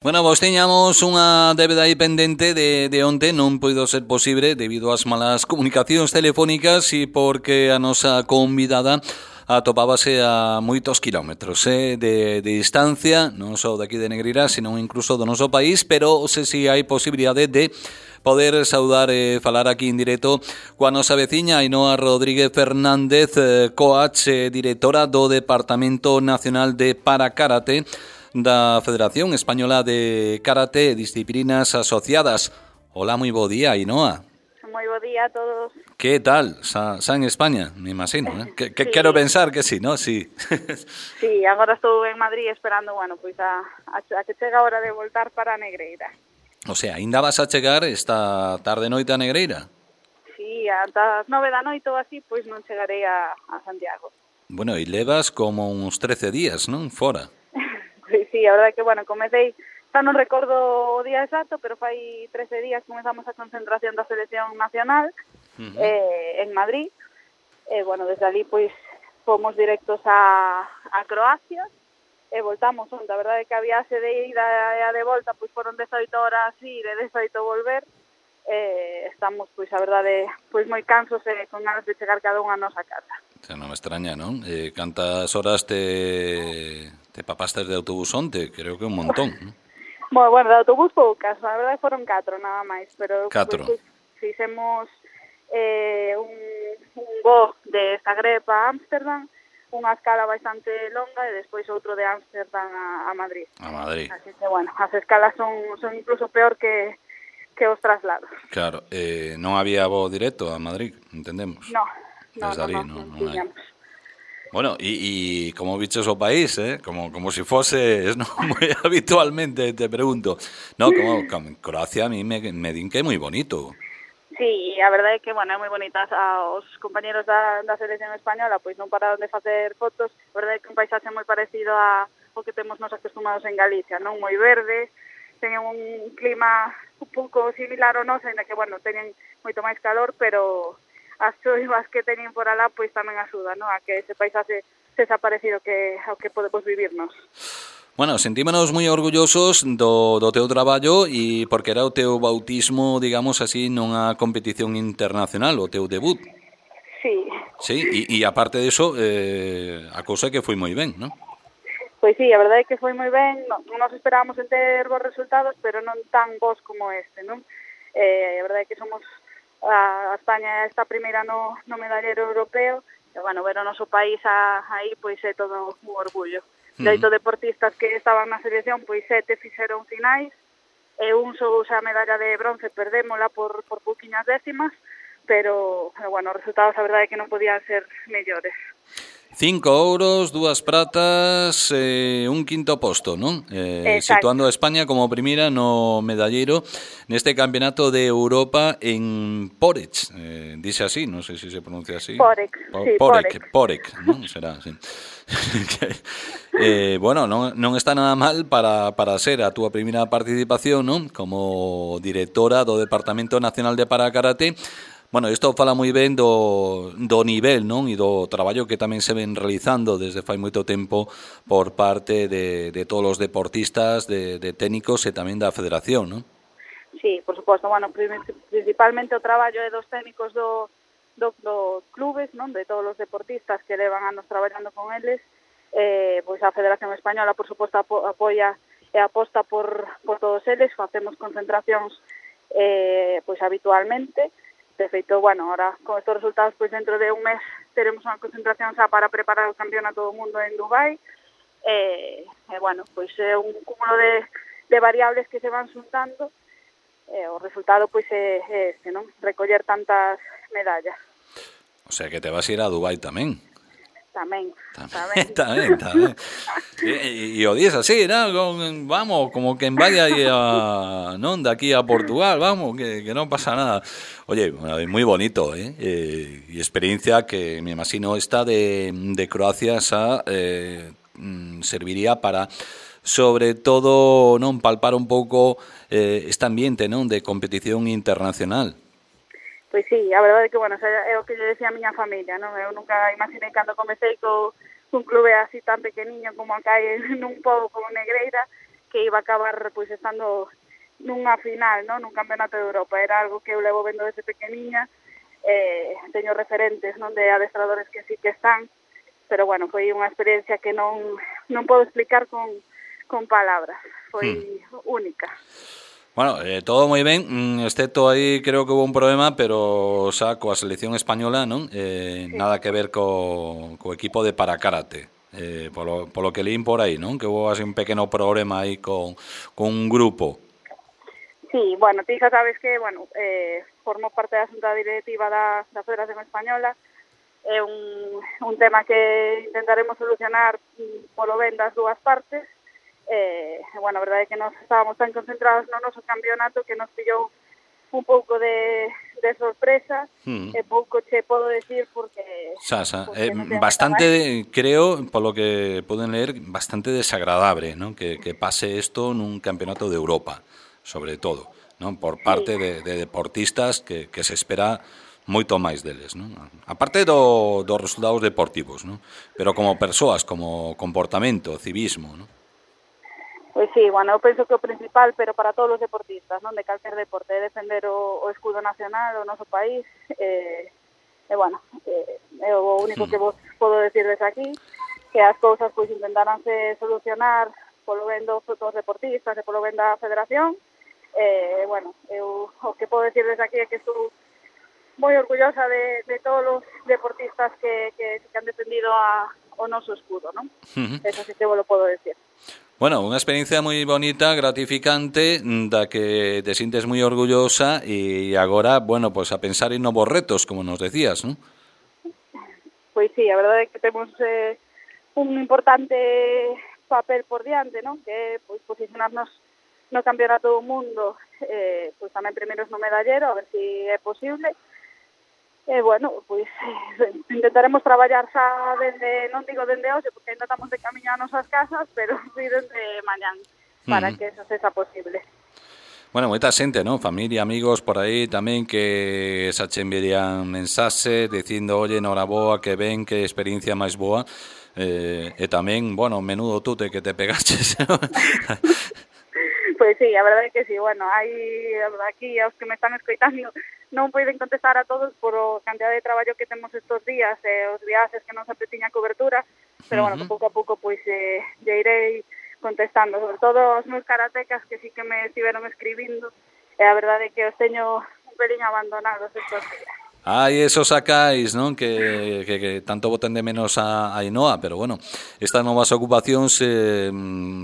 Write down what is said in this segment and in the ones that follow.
Bueno, vos tiñamos unha débeda aí pendente de onte, non puido ser posible debido ás malas comunicacións telefónicas e porque a nosa convidada atopábase a moitos kilómetros de distancia, non só daqui de Negreira, senón incluso do noso país, pero se si hai posibilidade de poder saudar e falar aquí en directo coa nosa veciña Ainhoa Rodríguez Fernández, coach, directora do Departamento Nacional de Parakarate da Federación Española de Karate e Disciplinas Asociadas. Hola, moi bo día, Ainhoa. Moi bo día a todos. Que tal? Xa en España, me imagino, eh? Que Sí. Quero pensar que sí, ¿no? Sí. Sí, agora estou en Madrid esperando, pois a que chega a hora de voltar para Negreira. O sea, ainda vas a chegar esta tarde noite a Negreira? Sí, ata as 9 da noite ou así, pois non chegarei a Santiago. Bueno, e levas como uns 13 días, non? Fora. Pois sí, a verdade que, comecei, xa non recordo o día exacto, pero fai 13 días comezamos a concentración da Selección Nacional en Madrid. Desde ali, pois, fomos directos a Croacia e voltamos onde. A verdade é que a viaxe de ida e a de volta pois foron 18 horas ir e 18 volver. Estamos, pois, a verdade, pois moi cansos e con ganas de chegar cada unha a nosa casa. Non me extraña, non? Cantas horas te papastes de autobús onte? Creo que un montón, non? Bueno, de autobús poucas, a verdade foron 4 nada máis, pero 4. Pois, fixemos un voo de Zagreb a Ámsterdam, unha escala bastante longa e despois outro de Ámsterdam a Madrid. A Madrid. Así que, as escalas son incluso peor que os traslados. Claro, non había voo directo a Madrid, entendemos. No, non tiñamos. Bueno, y como bichos o país, como si fuese, ¿no? Muy habitualmente te pregunto. No, como Croacia a mí me din que é moi bonito. Sí, a verdade é que, é moi bonita. Os compañeros da selección española pois non pararon de facer fotos. A verdade é que un paisaxe moi parecido ao que temos nos acostumados en Galicia, non? Moi verde, teñen un clima un pouco similar ao noso, ainda que, teñen moito máis calor, pero as choivas que teñen por alá pois tamén axudan, non? A que ese paisaxe sexa parecido ao que podemos vivirnos. Bueno, sentímonos moi orgullosos do teu traballo e porque era o teu bautismo, digamos así, nunha competición internacional, o teu debut. Sí. Sí, e aparte diso, a cousa que foi moi ben, non? Pois sí, a verdade é que foi moi ben. Non nos esperábamos en ter bons resultados, pero non tan bons como este, non? A verdade é que somos a España está primeira no medallero europeo, e, ver o noso país aí, pois é todo un orgullo. De 8 deportistas que estaban na selección, pois 7 fixeron finais, e un só a medalla de bronce, perdémola por pouquiñas décimas, pero os resultados a verdade é que non podían ser mellores. 5 ouros, 2 pratas, un quinto posto, non? Situando a España como primeira no medallero neste campeonato de Europa en Porec, dice así, non sei se se pronuncia así. Porec, non? Será así. Non está nada mal para ser a túa primeira participación, non? Como directora do Departamento Nacional de Parakarate. Bueno, isto fala moi ben do nivel, non? E do traballo que tamén se ven realizando desde fai moito tempo por parte de todos os deportistas, de técnicos e tamén da federación, non? Sí, por suposto. Principalmente o traballo é dos técnicos dos clubes, non? De todos os deportistas que levan anos traballando con eles. Pois a Federación Española, por suposto, apoia e aposta por todos eles. Facemos concentracións pois habitualmente. De feito, ahora con estos resultados, pois dentro de un mes teremos unha concentración xa para preparar o campeonato do mundo en Dubai. Pois é un cúmulo de variables que se van xuntando. O resultado, pois, é este, non? Recoller tantas medallas. O sea, que te vas a ir a Dubai tamén. Tamén. E o dies así, ¿no? Vamos, como que vaya non, de aquí a Portugal, vamos, que non pasa nada. Oye, moi bonito, e experiencia que me imagino esta de Croacia serviría para, sobre todo, non, palpar un pouco este ambiente, non, de competición internacional. Pois sí, a verdade é que, é o que lle decía a miña familia, non? Eu nunca imaginei cando comecei cun clube así tan pequeniño como acá en un pobo como Negreira, que iba a acabar pois estando nunha final, non, nun campeonato de Europa. Era algo que eu levo vendo desde pequeniña, teño referentes, non, de adestradores que sí que están, pero bueno, foi unha experiencia que non podo explicar con palabras, foi única. Bueno, todo moi ben, excepto aí creo que hubo un problema, pero xa coa selección española, non? Sí. Nada que ver co equipo de parakarate. Polo que lín por aí, non? Que hubo así un pequeno problema aí con un grupo. Sí, bueno, ti xa sabes que, bueno, formo parte da xunta directiva da Federación Española. É un tema que intentaremos solucionar polo ben das dúas partes. Bueno, a verdade é que nos estábamos tan concentrados no noso campeonato que nos pillou un pouco de sorpresa, e pouco che podo decir porque bastante, creo, polo que poden ler, bastante desagradable, ¿no? Que pase isto nun campeonato de Europa, sobre todo, ¿no? Por parte de deportistas que se espera moito máis deles, non? Aparte dos resultados deportivos, non? Pero como persoas, como comportamento, civismo, non? Pois sí, bueno, eu penso que o principal, pero para todos os deportistas, non, de calquer deporte, é defender o escudo nacional, o noso país, bueno, é o único que vos podo decir desde aquí, que as cousas pois intentaranse solucionar polo ben dos deportistas e polo ben da federación. Bueno, eu o que podo decir desde aquí é que estou moi orgullosa de todos os deportistas que han defendido o noso escudo, non? Eso sí que vos lo podo decir. Bueno, unha experiencia moi bonita, gratificante, da que te sintes moi orgullosa e agora, bueno, pues a pensar en novos retos, como nos decías, non? Pois sí, a verdade é que temos un importante papel por diante, non? Que é pois, posicionarnos no campeonato do mundo, pois tamén primeiros no medallero, a ver se é posible. Bueno, pois intentaremos traballar xa dende, non digo dende hoxe, porque ainda estamos de camiño a nosas casas, pero sí dende mañán, para que eso sexa posible. Bueno, moita xente, non? Familia, amigos por aí tamén que xa che enviarían mensaxe dicindo, oye, noraboa, que ben, que experiencia máis boa, e tamén, bueno, menudo tute que te pegaches. Pois sí, a verdade é que sí, bueno, hai aquí aos que me están escoitando non poden contestar a todos por a cantidad de traballo que temos estos días e os viaxes que non sempre tiña cobertura, pero bueno, que pouco a pouco pois lle irei contestando, sobre todo os meus karatecas que sí que me estiveron escribindo, e a verdade é que os teño un pelín abandonados estos días. Hai esos sacais, non? Que tanto boten de menos a Ainhoa, pero bueno, estas novas ocupacións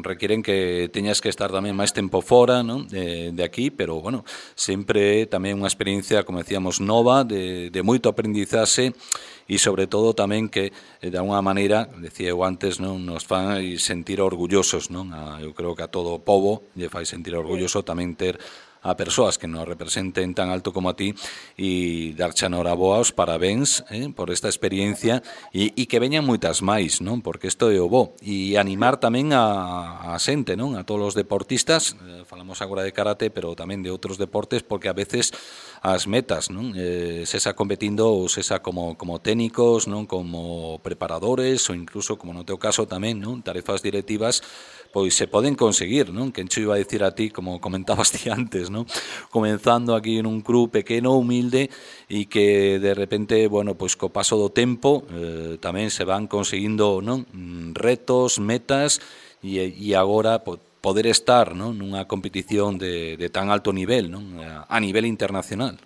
requieren que teñas que estar tamén máis tempo fora, non? De aquí, pero bueno, sempre tamén unha experiencia, como decíamos, nova, de moito aprendizaxe e sobre todo tamén que de alguna maneira, decía eu antes, non, nos fai sentir orgullosos, non? Eu creo que a todo o pobo lle fai sentir orgulloso tamén ter a persoas que nos representen tan alto como a ti e darche a noraboa os parabéns por esta experiencia e que veñan moitas máis, non? Porque isto é o bo e animar tamén a xente, non? A todos os deportistas, falamos agora de karate, pero tamén de outros deportes, porque a veces as metas, non? Sesa competindo ou sesa como técnicos, non? Como preparadores ou incluso, como no teu caso tamén, non? Tarefas directivas, pois se poden conseguir, non? Que encho iba a dicir a ti, como comentabas ti antes, non? Comenzando aquí en un club pequeno, humilde, e que de repente, bueno, pois co paso do tempo tamén se van conseguindo, non? Retos, metas, e agora poder estar, non? Nunha competición de tan alto nivel, non? A nivel internacional.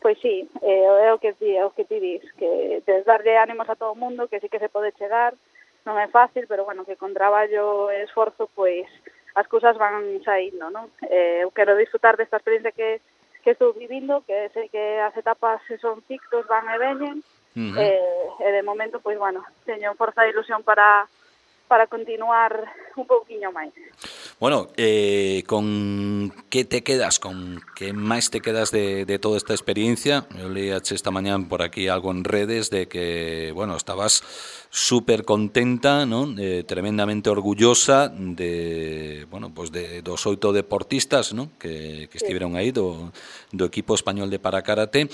Pois sí, é o que ti dis, que darlle ánimos a todo o mundo, que sí que se pode chegar, non é fácil, pero bueno, que con traballo e esforzo, pois, as cousas van saindo, non? Eu quero disfrutar desta experiencia que estou vivindo, que sei que as etapas son ciclos, van e veñen, e de momento, pois, bueno, teño forza e ilusión para continuar un pouquiño máis. Bueno, con que te quedas, con que máis te quedas de toda esta experiencia? Eu leíache esta mañán por aquí algo en redes de que, bueno, estabas súper contenta, non? Tremendamente orgullosa de, bueno, pues de dos 8 deportistas, non? Que estiveron aí do equipo español de parakarate,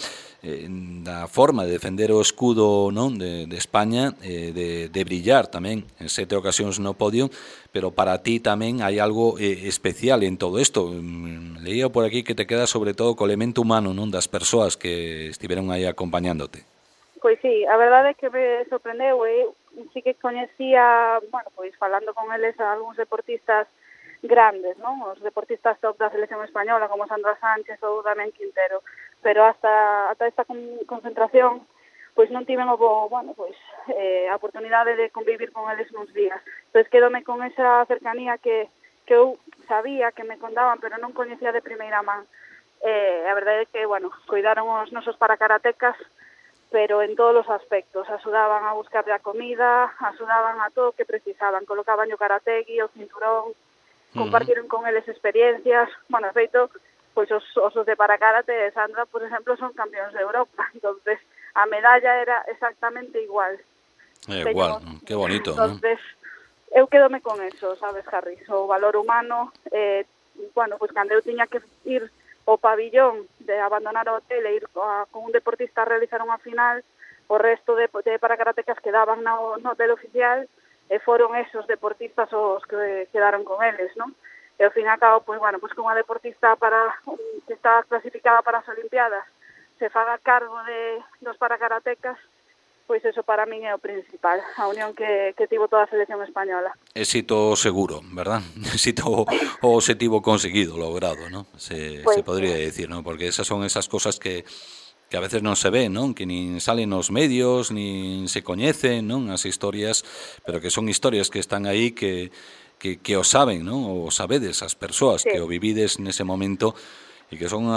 da forma de defender o escudo, non? De España, de brillar tamén en 7 ocasións no podio, pero para ti tamén hai algo especial en todo isto. Leía por aquí que te queda sobre todo co elemento humano, non? Das persoas que estiveron aí acompañándote. Pois sí, a verdade é que me sorprendeu, sí que coñecía, bueno, pois falando con eles a algúns deportistas grandes, non? Os deportistas top da selección española como Sandra Sánchez ou Damián Quintero, pero hasta esta concentración pois non tiven bueno, pois a oportunidade de convivir con eles nuns días. Pois quedome con esa cercanía que eu sabía que me contaban, pero non coñecía de primeira man. A verdade é que, bueno, cuidaron os nosos paracaratecas, pero en todos os aspectos, axudaban a buscar a comida, axudaban a todo o que precisaban, colocaban o karategi, o cinturón, compartiron con eles experiencias, bueno, feito, pois os de parakarate de Sandra, por exemplo, son campeóns de Europa, entonces a medalla era exactamente igual. Igual, que bonito, entonces, eu quedome con eso, sabes, Harry, o valor humano, bueno, pois cando eu tiña que ir o pabillón de abandonar o hotel e ir con un deportista a realizar unha final, o resto de paracaratecas quedaban no hotel oficial e foron esos deportistas os que quedaron con eles, non? E ao fin e ao cabo, pois, bueno, pois que unha deportista que está clasificada para as Olimpiadas se faga cargo dos paracaratecas, pois eso para min é o principal, a unión que tivo toda a selección española. Éxito seguro, verdad? Éxito o objetivo conseguido, logrado, ¿no? Se podría decir, ¿no? Porque esas son esas cosas que a veces non se ven, non? Que nin salen nos medios, nin se coñecen, non? As historias, pero que son historias que están aí que o saben, non? O sabedes as persoas que o vivides nese momento, e que son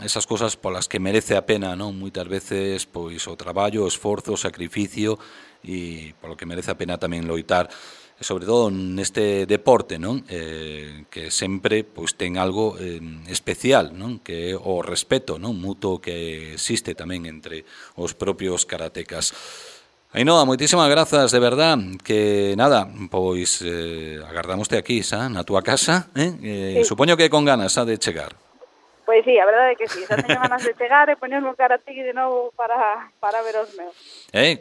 esas cosas polas que merece a pena, non? Moitas veces pois o traballo, o esforzo, o sacrificio, e polo que merece a pena tamén loitar, e sobre todo neste deporte, non? Que sempre pois ten algo especial, non? Que é o respeto, non? Mutuo que existe tamén entre os propios karatecas. Ainhoa, moitísimas grazas, de verdad, que nada, pois agardamoste aquí, xa, na túa casa, sí. Supoño que con ganas de chegar. Pois sí, a verdade é que sí, xa teño ganas de chegar e poñerme o karategi de novo para ver os meus.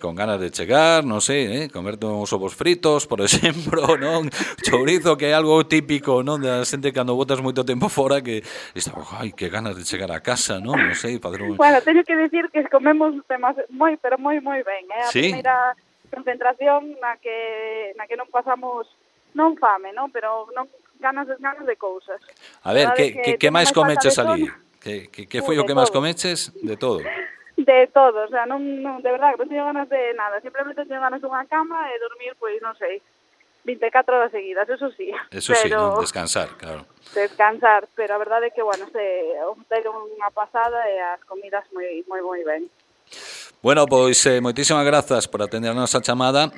Con ganas de chegar, non sei, comerte uns ovos fritos, por exemplo, non? Chourizo, que é algo típico, non? Da xente cando botas moito tempo fora que está, ai, que ganas de chegar a casa, non? Non sei, facer un... Bueno, teño que dicir que comemos moi, pero moi ben, A ¿Sí? primeira concentración na que non pasamos, non fame, non? Pero non ganas de cousas. A ver, que máis comeches ali? Que foi o que máis comeches? De todo. De todo, o sea, non de verdade, non teño ganas de nada, simplemente teño ganas dunha cama e dormir, pois, non sei, 24 horas seguidas, eso sí. Eso sí, non? Descansar, claro. Descansar, pero a verdade é que, bueno, o hotel é unha pasada e as comidas moi ben. Bueno, pois moitísimas grazas por atendernos a chamada.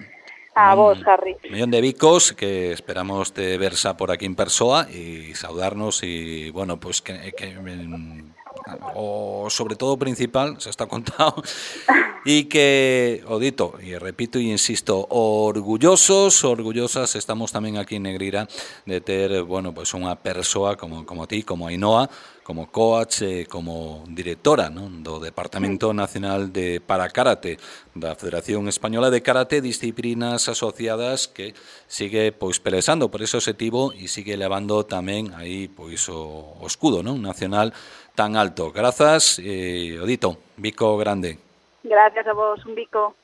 A vos, Harry. Millón de bicos, que esperamos te versa por aquí en persoa e saudarnos e, bueno, pues que o sobre todo principal, se está contado, e que, o dito, e repito e insisto, orgullosas estamos tamén aquí en Negreira de ter, bueno, pues unha persoa como ti, como Ainhoa, como coach, como directora, non? Do Departamento Nacional de Parakarate da Federación Española de Karate, disciplinas asociadas que sigue pois pelexando por ese objetivo e sigue levando tamén aí pois o escudo, non? Nacional tan alto. Grazas, Odito, bico grande. Gracias a vos, un bico.